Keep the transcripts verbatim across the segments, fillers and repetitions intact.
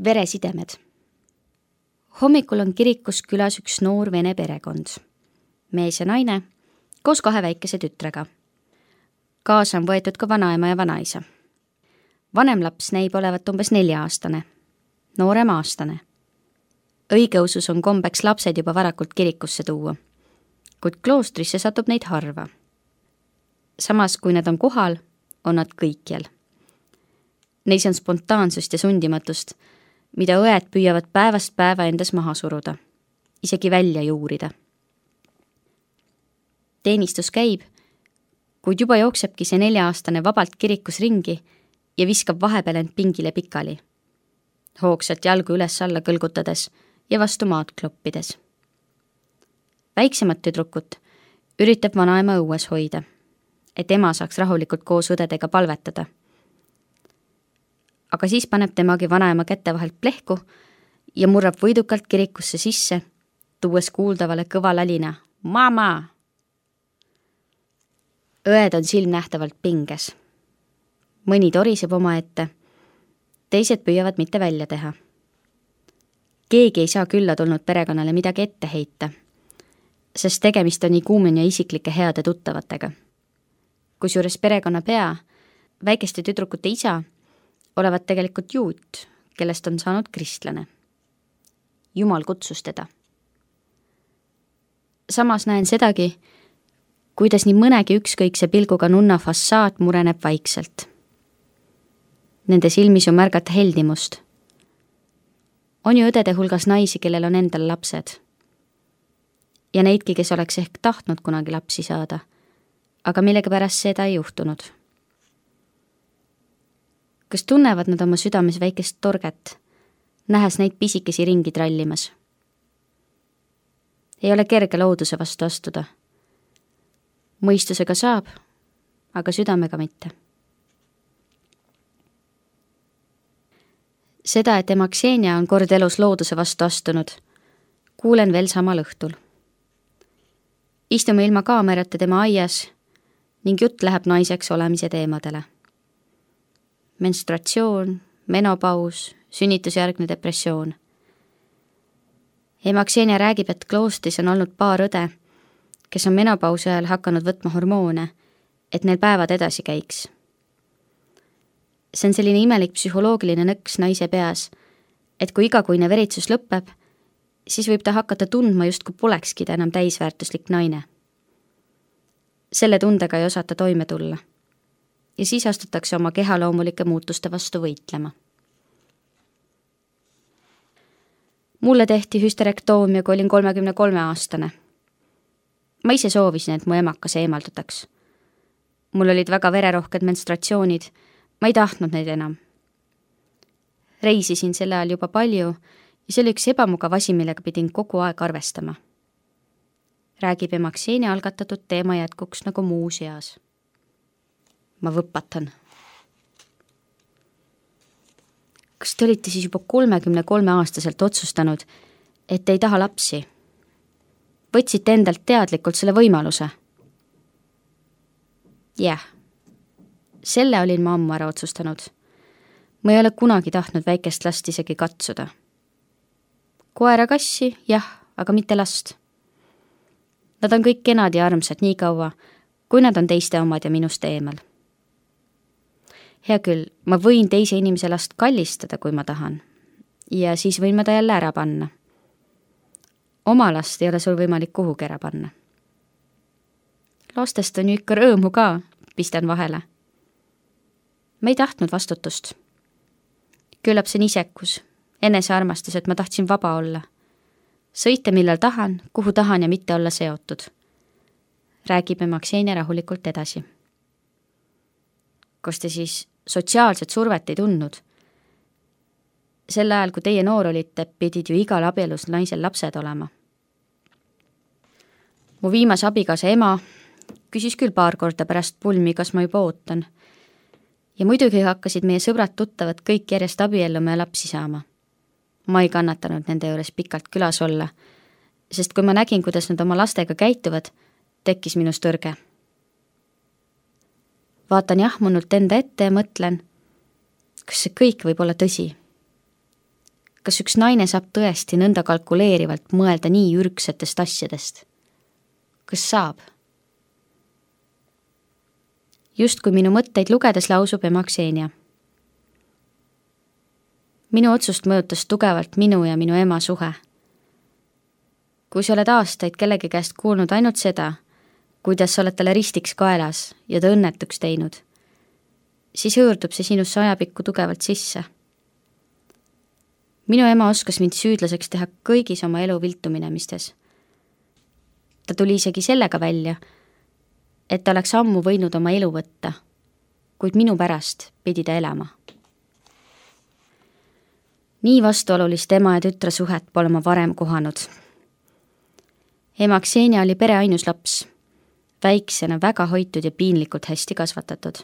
Veresidemed. Hommikul on kirikus külas üks noor vene perekond. Mees ja naine koos kahe väikese tütrega. Kaasa on võetud ka vanaema ja vanaisa. Vanem laps näib olevat umbes nelja-aastane, noorem aastane. Õigeusus on kombeks lapsed juba varakult kirikusse tuua, kuid kloostrisse satub neid harva. Samas, kui nad on kohal, on nad kõikjal. Neis on spontaansust ja sundimatust, mida õed püüavad päevast päeva endas maha suruda, isegi välja juurida. Teenistus käib, kuid juba jooksebki see nelja-aastane vabalt kirikus ringi ja viskab vahepeal end pingile pikali, hoogsalt jalgu üles-alla kõlgutades ja vastu maad kloppides. Väiksemat tüdrukut üritab vanaema õues hoida, et ema saaks rahulikult koos õdedega palvetada. Aga siis paneb temagi vanaema kätte vahelt plehku ja murrab võidukalt kirikusse sisse, tuues kuuldavale kõva lalina Mama! Õed on silmnähtavalt pinges. Mõni toriseb oma ette, teised püüavad mitte välja teha. Keegi ei saa külla tulnud perekonnale midagi ette heita, sest tegemist on nii kuumen ja isiklike heade tuttavatega. Kusjuures perekonna pea, väikeste tüdrukute isa, olevat tegelikult juut, kellest on saanud kristlane. Jumal kutsus teda. Samas näen sedagi, kuidas nii mõnegi ükskõikse pilguga nunna fassaad mureneb vaikselt. Nende silmis on märgata heldimust. On ju õdede hulgas naisi, kellel on endal lapsed. Ja neidki, kes oleks ehk tahtnud kunagi lapsi saada, aga millega pärast seda ei juhtunud. Kas tunnevad nad oma südames väikest torget, nähes neid pisikesi ringi trallimas? Ei ole kerge looduse vastu astuda. Mõistusega saab, aga südamega mitte. Seda, et ema Ksenia on kord elus looduse vastu astunud, kuulen veel samal õhtul. Istume ilma kaamerate tema aias ning jutt läheb naiseks olemise teemadele. Menstruatsioon, menopaus, sünnitusjärgne depressioon. Ema Ksenia räägib, et kloostris on olnud paar õde, kes on menopausi ajal hakanud võtma hormoone, et neil päevad edasi käiks. See on selline imelik psühholoogiline nõks naise peas, et kui igakuine veritsus lõpeb, siis võib ta hakata tundma justkui polekski ta enam täisväärtuslik naine. Selle tundega ei osata toime tulla ja siis astutakse oma kehaloomulike muutuste vastu võitlema. Mulle tehti hüsterektoomia, kui olin kolmekümne kolme aastane. Ma ise soovisin, et mu emakas eemaldataks. Mul olid väga vererohked menstratsioonid, ma ei tahtnud neid enam. Reisisin selle ajal juba palju ja see oli üks ebamugav asi, millega pidin kogu aeg arvestama. Räägib ema Ksenia algatatud teema jätkuks nagu muu seas. Ma võpatan. Kas te olite siis juba kolmekümne kolme aastaselt otsustanud, et ei taha lapsi? Võtsite endalt teadlikult selle võimaluse? Jah, selle olin ma ammu ära otsustanud. Ma ei ole kunagi tahtnud väikest last isegi katsuda. Koera kassi, jah, aga mitte last. Nad on kõik kenad ja armsad nii kaua, kui nad on teiste omad ja minust eemal. Hea küll, ma võin teise inimese last kallistada, kui ma tahan, ja siis võin ma ta jälle ära panna. Oma last ei ole sul võimalik kuhugi ära panna. Lastest on ju ikka rõõmu ka, pistan vahele. Ma ei tahtnud vastutust. Küllap see on isekus, enesearmastus, et ma tahtsin vaba olla. Sõita millal tahan, kuhu tahan ja mitte olla seotud. Räägib ema Ksenia rahulikult edasi. Kas te siis sotsiaalset survet ei tundnud? Sel ajal, kui teie noor olite, pidid ju igal abielus naisel lapsed olema. Mu viimase abikaasa ema küsis küll paar korda pärast pulmi, kas ma juba ootan. Ja muidugi hakkasid meie sõbrad tuttavad kõik järjest abielluma ja lapsi saama. Ma ei kannatanud nende juures pikalt külas olla, sest kui ma nägin, kuidas nad oma lastega käituvad, tekkis minus tõrge. Vaatan jahmunult enda ette ja mõtlen, kas see kõik võib olla tõsi. kas üks naine saab tõesti nõnda kalkuleerivalt mõelda nii ürgsetest asjadest? Kas saab? Just kui minu mõtteid lugedes lausub ema Ksenia. Minu otsust mõjutas tugevalt minu ja minu ema suhe. Kui sa oled aastaid kellegi käest kuulnud ainult seda, kuidas sa oled talle ristiks kaelas ja ta õnnetuks teinud, siis hõõrdub see sinusse ajapikku tugevalt sisse. Minu ema oskas mind süüdlaseks teha kõigis oma elu viltuminemistes. Ta tuli isegi sellega välja, et ta oleks ammu võinud oma elu võtta, kuid minu pärast pidi ta elama. Nii vastuolulist ema ja tütre suhet pole ma varem kohanud. Ema Ksenia oli pere ainus laps, väiksena väga hoitud ja piinlikult hästi kasvatatud.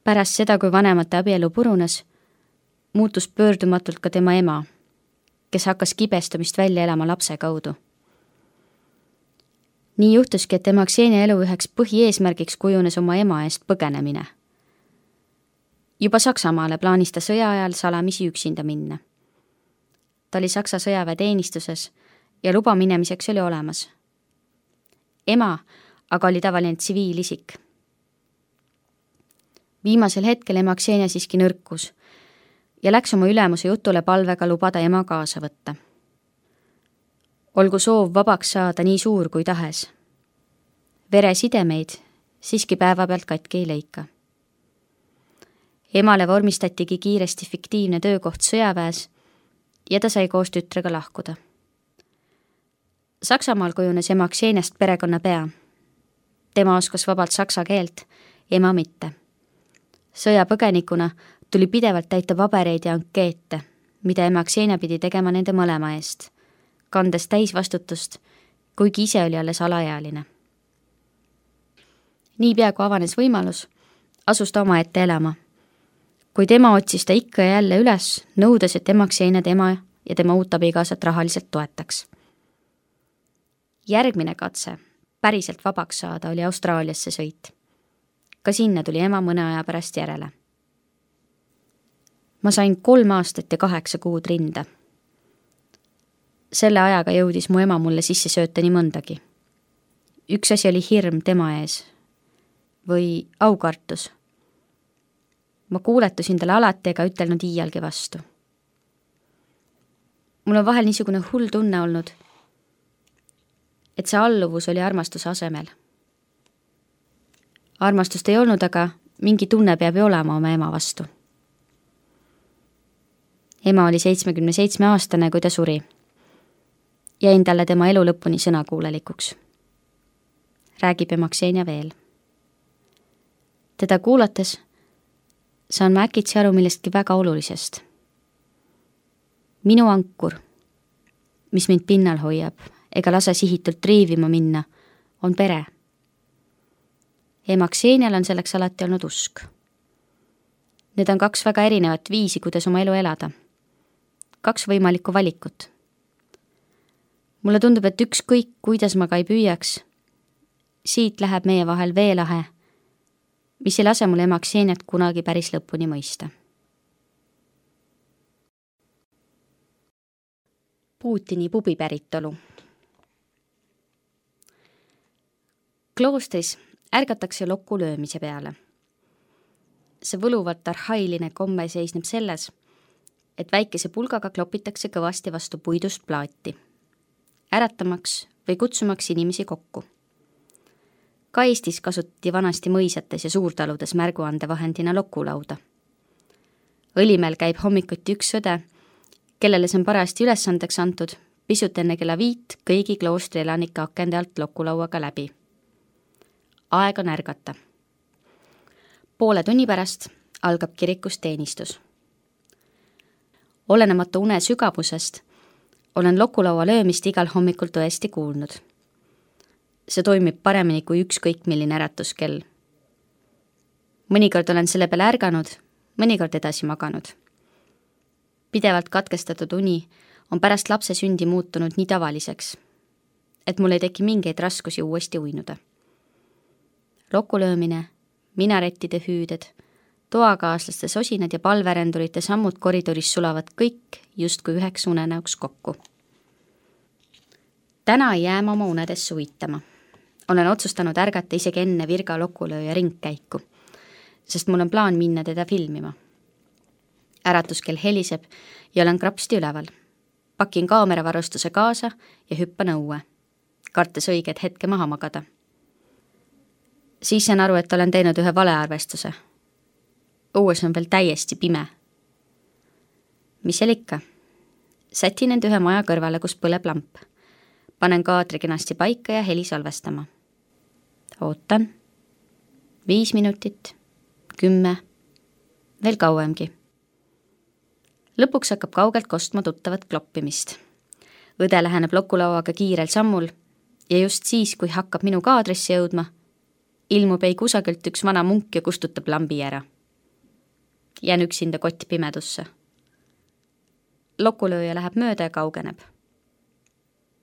Pärast seda, kui vanemate abielu purunes, muutus pöördumatult ka tema ema, kes hakkas kibestumist välja elama lapse kaudu. Nii juhtuski, et ema Ksenia elu üheks põhieesmärgiks kujunes oma ema eest põgenemine. Juba Saksamaale plaanis ta sõja ajal salamisi üksinda minna. Ta oli Saksa sõjaväe teenistuses ja luba minemiseks oli olemas. Ema aga oli tavaline tsiviilisik. Viimasel hetkel ema Ksenia siiski nõrkus ja läks oma ülemuse jutule palvega lubada ema kaasa võtta. Olgu soov vabaks saada nii suur kui tahes. Veresidemeid siiski päeva pealt katki ei leika. Emale vormistatigi kiiresti fiktiivne töökoht sõjaväes ja ta sai koos tütrega lahkuda. Saksamaal kujunes ema Kseniast perekonna pea. Tema oskas vabalt saksa keelt, ema mitte. Sõjapõgenikuna tuli pidevalt täita pabereid ja ankeete, mida ema Ksenia pidi tegema nende mõlema eest, kandes täisvastutust, kuigi ise oli alles alaealine. Niipea kui avanes võimalus, asus ta oma ette elama. Kuid ema otsis ta ikka ja jälle üles, nõudes, et ema Ksenia tema ja tema uut abikaasat rahaliselt toetaks. Järgmine katse päriselt vabaks saada oli Austraaliasse sõit. Ka sinna tuli ema mõne aja pärast järele. Ma sain kolm aastat ja kaheksa kuud rinda. Selle ajaga jõudis mu ema mulle sisse sööta nii mõndagi. Üks asi oli hirm tema ees või aukartus. Ma kuuletusin talle alati ega ütelnud iialgi vastu. Mul on vahel niisugune hull tunne olnud, et see alluvus oli armastuse asemel. Armastust ei olnud, aga mingi tunne peab ju olema oma ema vastu. Ema oli seitsmekümne seitsme aastane, kui ta suri. Jäin talle tema elu lõpuni sõnakuulelikuks. Räägib ema Ksenia veel. Teda kuulates saan ma äkitsi aru millestki väga olulisest. Minu ankur, mis mind pinnal hoiab ega lase sihitult triivima minna, on pere. Ema Ksenial on selleks alati olnud usk. Need on kaks väga erinevat viisi, kuidas oma elu elada. Kaks võimalikku valikut. Mulle tundub, et ükskõik, kuidas ma ka ei püüaks, siit läheb meie vahel veelahe, mis ei lase mul ema Kseniat kunagi päris lõpuni mõista. Putini pubi päritolu. Kloostris ärgatakse lokku löömise peale. See võluvalt arhailine komme seisneb selles, et väikese pulgaga klopitakse kõvasti vastu puidust plaati, äratamaks või kutsumaks inimesi kokku. Ka Eestis kasutati vanasti mõisates ja suurtaludes märguande vahendina lokulauda. Õlimel käib hommikuti üks sõde, kellele see on parajasti ülesandeks antud, pisut enne kella viit kõigi kloostri elanike akende alt lokulauaga läbi. Aeg on ärgata. Poole tunni pärast algab kirikus teenistus. Olenemata une sügavusest olen lokulaua löömist igal hommikul tõesti kuulnud. See toimib paremini kui ükskõik milline äratuskell. Mõnikord olen selle peale ärganud, mõnikord edasi maganud. Pidevalt katkestatud uni on pärast lapse sündi muutunud nii tavaliseks, et mul ei teki mingeid raskusi uuesti uinuda. Lokulöömine, minarettide hüüded, toakaaslaste sosinad ja palverendurite sammud koridoris sulavad kõik justkui üheks unenäoks kokku. Täna ei jää ma oma unedesse uitama. Olen otsustanud ärgata isegi enne Virga lokulööja ringkäiku, sest mul on plaan minna teda filmima. Äratuskell heliseb ja olen krapsti üleval. Pakin kaameravarustuse kaasa ja hüppan õue, kartes õiget hetke maha magada. Siis saan aru, et olen teinud ühe valearvestuse. Õues on veel täiesti pime. Mis seal ikka? Sätin end ühe maja kõrvale, kus põleb lamp. Panen kaadri kenasti paika ja heli salvestama. Ootan. Viis minutit, kümme, veel kauemgi. Lõpuks hakkab kaugelt kostma tuttavat kloppimist. Õde läheneb lokulauaga kiirel sammul ja just siis, kui hakkab minu kaadrisse jõudma, ilmub ei kusagilt üks vana munk ja kustutab lambi ära. Jään üksinda kott pimedusse. Lokulööja läheb mööda ja kaugeneb.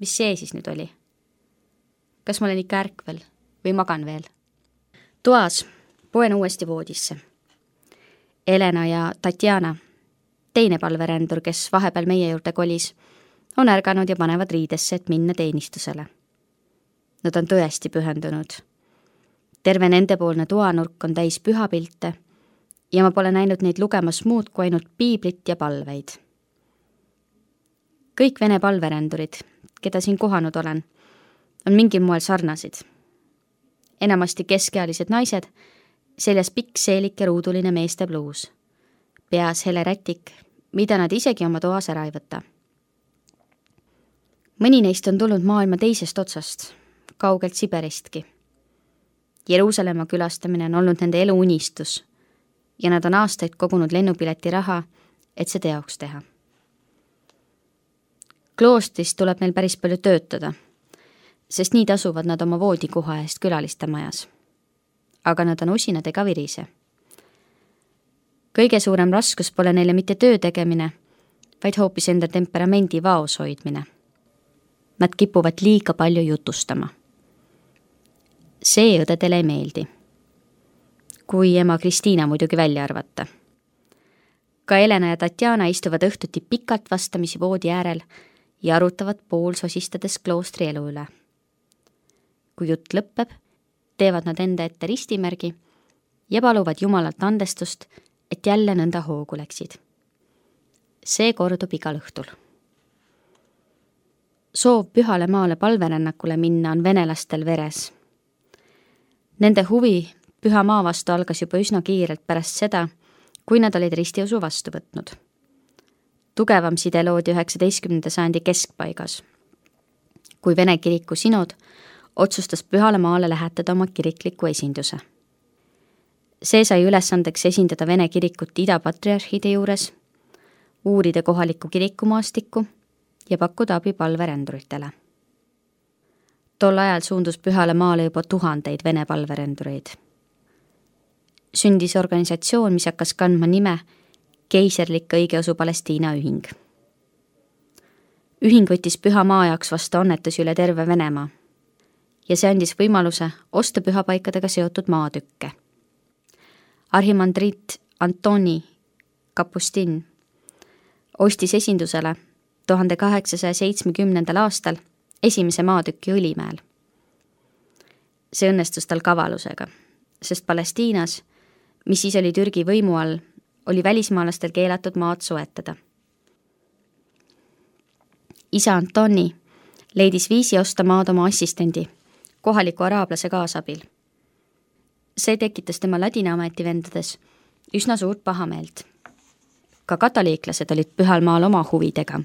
Mis see siis nüüd oli? Kas ma olen ikka ärkvel või magan veel? Toas poen uuesti voodisse. Elena ja Tatjana, teine palverendur, kes vahepeal meie juurde kolis, on ärganud ja panevad riidesse, et minna teenistusele. Nad on tõesti pühendunud. Terve nendepoolne toanurk on täis pühapilte ja ma pole näinud neid lugemas muud kui ainult piiblit ja palveid. Kõik vene palverendurid, keda siin kohanud olen, on mingil moel sarnasid. Enamasti keskealised naised, seljas pikk seelik ja ruuduline meeste bluus. Peas hele rätik, mida nad isegi oma toas ära ei võta. Mõni neist on tulnud maailma teisest otsast, kaugelt Siberistki. Jeruusalemma külastamine on olnud nende elu unistus ja nad on aastaid kogunud lennupileti raha, et see teoks teha. Kloostris tuleb neil päris palju töötada, sest nii tasuvad nad oma voodikoha eest külaliste majas. Aga nad on usinad ega virise. Kõige suurem raskus pole neile mitte töö tegemine, vaid hoopis enda temperamendi vaos hoidmine. Nad kipuvad liiga palju jutustama. See õdedele ei meeldi. Kui ema Kristiina muidugi välja arvata. Ka Elena ja Tatjana istuvad õhtuti pikalt vastamisi voodi äärel ja arutavad pool sosistades kloostri elu üle. Kui jutt lõppeb, teevad nad enda ette ristimärgi ja paluvad Jumalalt andestust, et jälle nõnda hoogu läksid. See kordub igal õhtul. Soov pühale maale palverännakule minna on venelastel veres. Nende huvi püha maa vastu algas juba üsna kiirelt pärast seda, kui nad olid ristiusu vastu võtnud. Tugevam side loodi üheksateistkümnenda sajandi keskpaigas, kui Vene kiriku sinod otsustas pühale maale lähetada oma kirikliku esinduse. See sai ülesandeks esindada Vene kirikut idapatriarhide juures, uurida kohalikku kirikumaastikku ja pakkuda abi palverenduritele. Tol ajal suundus pühale maale juba tuhandeid Vene palverendureid. Sündis organisatsioon, mis hakkas kandma nime Keiserlik õigeusu Palestiina ühing. Ühing võttis püha maa jaoks vastu annetusi üle terve Venemaa ja see andis võimaluse osta pühapaikadega seotud maatükke. Arhimandrit Antoni Kapustin ostis esindusele tuhande kaheksasaja seitsmekümnendal aastal esimese maatüki Õlimäel. See õnnestus tal kavalusega, sest Palestiinas, mis siis oli Türgi võimu all, oli välismaalastel keelatud maad soetada. Isa Antoni leidis viisi osta maad oma assistendi, kohaliku araablase kaasabil. See tekitas tema ladina ametivendades üsna suurt pahameelt. Ka katoliiklased olid pühal maal oma huvidega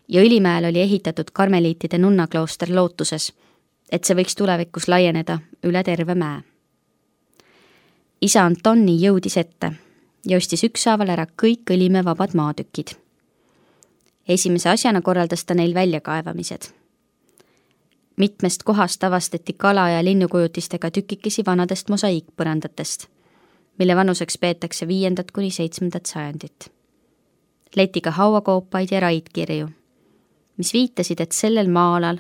ja Õlimäel oli ehitatud karmeliitide nunnaklooster lootuses, et see võiks tulevikus laieneda üle terve mäe. Isa Antoni jõudis ette ja ostis ükshaaval ära kõik Õlimäe vabad maatükid. Esimese asjana korraldas ta neil väljakaevamised. Mitmest kohast avastati kala- ja linnukujutistega tükikesi vanadest mosaiikpõrandatest, mille vanuseks peetakse viiendat kuni seitsmendat sajandit. Leiti ka hauakoopaid ja raidkirju, mis viitasid, et sellel maa-alal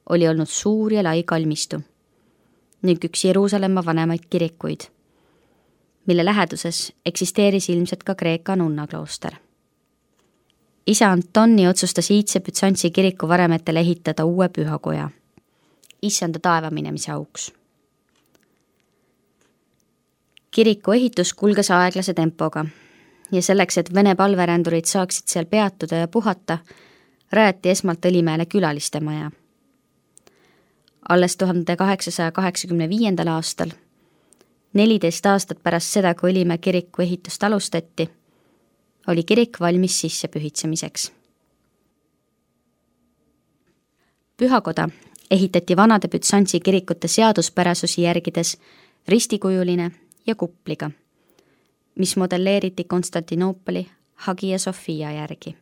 oli olnud suur ja lai kalmistu ning üks Jeruusalemma vanemaid kirikuid, mille läheduses eksisteeris ilmselt ka Kreeka nunnaklooster. Isa Antoni otsustas iidse Bütsantsi kiriku varemetele ehitada uue pühakoja, issanda taeva minemise auks. Kiriku ehitus kulges aeglase tempoga ja selleks, et Vene palverändurid saaksid seal peatuda ja puhata, rajati esmalt Õlimäele külaliste maja. Alles tuhande kaheksasaja kaheksakümne viiendal aastal, neliteist aastat pärast seda, kui Õlimäe kiriku ehitust alustati, oli kirik valmis sissepühitsemiseks. Pühakoda ehitati vanade Bütsantsi kirikute seaduspärasusi järgides ristikujuline ja kupliga, mis modelleeriti Konstantinoopoli Hagia Sophia järgi.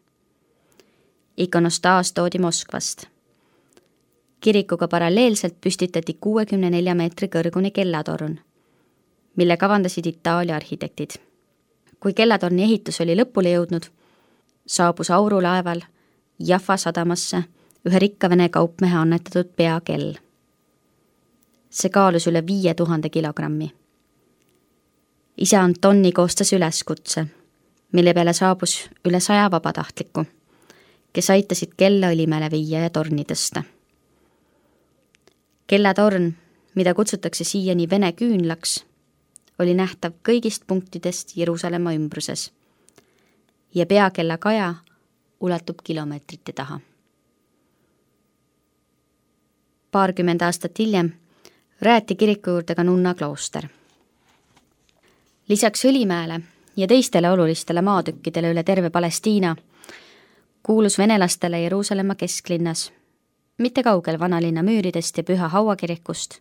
Ikonostaas toodi Moskvast. Kirikuga paralleelselt püstitati kuuekümne nelja meetri kõrgune kellatorn, mille kavandasid Itaalia arhitektid. Kui kellatorni ehitus oli lõpule jõudnud, saabus aurulaeval Jaffa sadamasse ühe rikka Vene kaupmehe annetatud peakell. See kaalus üle viie tuhande kilogrammi. Isa Antoni koostas üleskutse, mille peale saabus üle saja vabatahtliku, kes aitasid kella Õlimäele viia ja torni tõsta. Kellatorn, mida kutsutakse siiani Vene küünlaks, oli nähtav kõigist punktidest Jeruusalemma ümbruses ja peakella kaja ulatub kilomeetrite taha. Paarkümmend aastat hiljem rajati kiriku juurde ka nunna klooster. Lisaks Õlimäele ja teistele olulistele maatükkidele üle terve Palestiina kuulus venelastele Jeruusalemma kesklinnas, mitte kaugel vanalinna müüridest ja Püha Hauakirikust,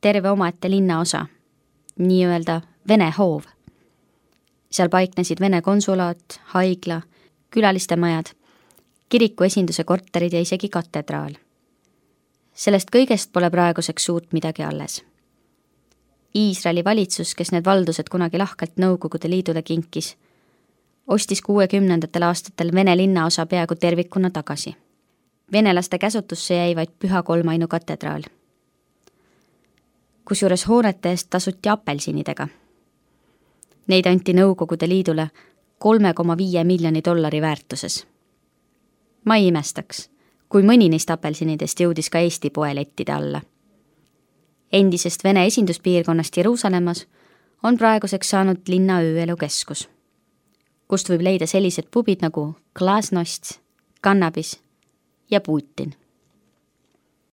terve omaette linnaosa, nii-öelda Vene hoov. Seal paiknesid Vene konsulaat, haigla, külaliste majad, kiriku esinduse korterid ja isegi katedraal. Sellest kõigest pole praeguseks suurt midagi alles. Iisraeli valitsus, kes need valdused kunagi lahkelt Nõukogude Liidule kinkis, ostis kuuekümnendatel aastatel Vene linnaosa peaaegu tervikuna tagasi. Venelaste käsutusse jäi vaid Püha Kolmainu katedraal. Kusjuures hoonete eest tasuti apelsinidega. Neid anti Nõukogude Liidule kolme koma viie miljoni dollari väärtuses. Ma ei imestaks, kui mõni neist apelsinidest jõudis ka Eesti poelettide alla. Endisest Vene esinduspiirkonnast Jeruusalemmas on praeguseks saanud linna ööelukeskus, kust võib leida sellised pubid nagu Glasnost, Cannabis ja Putin.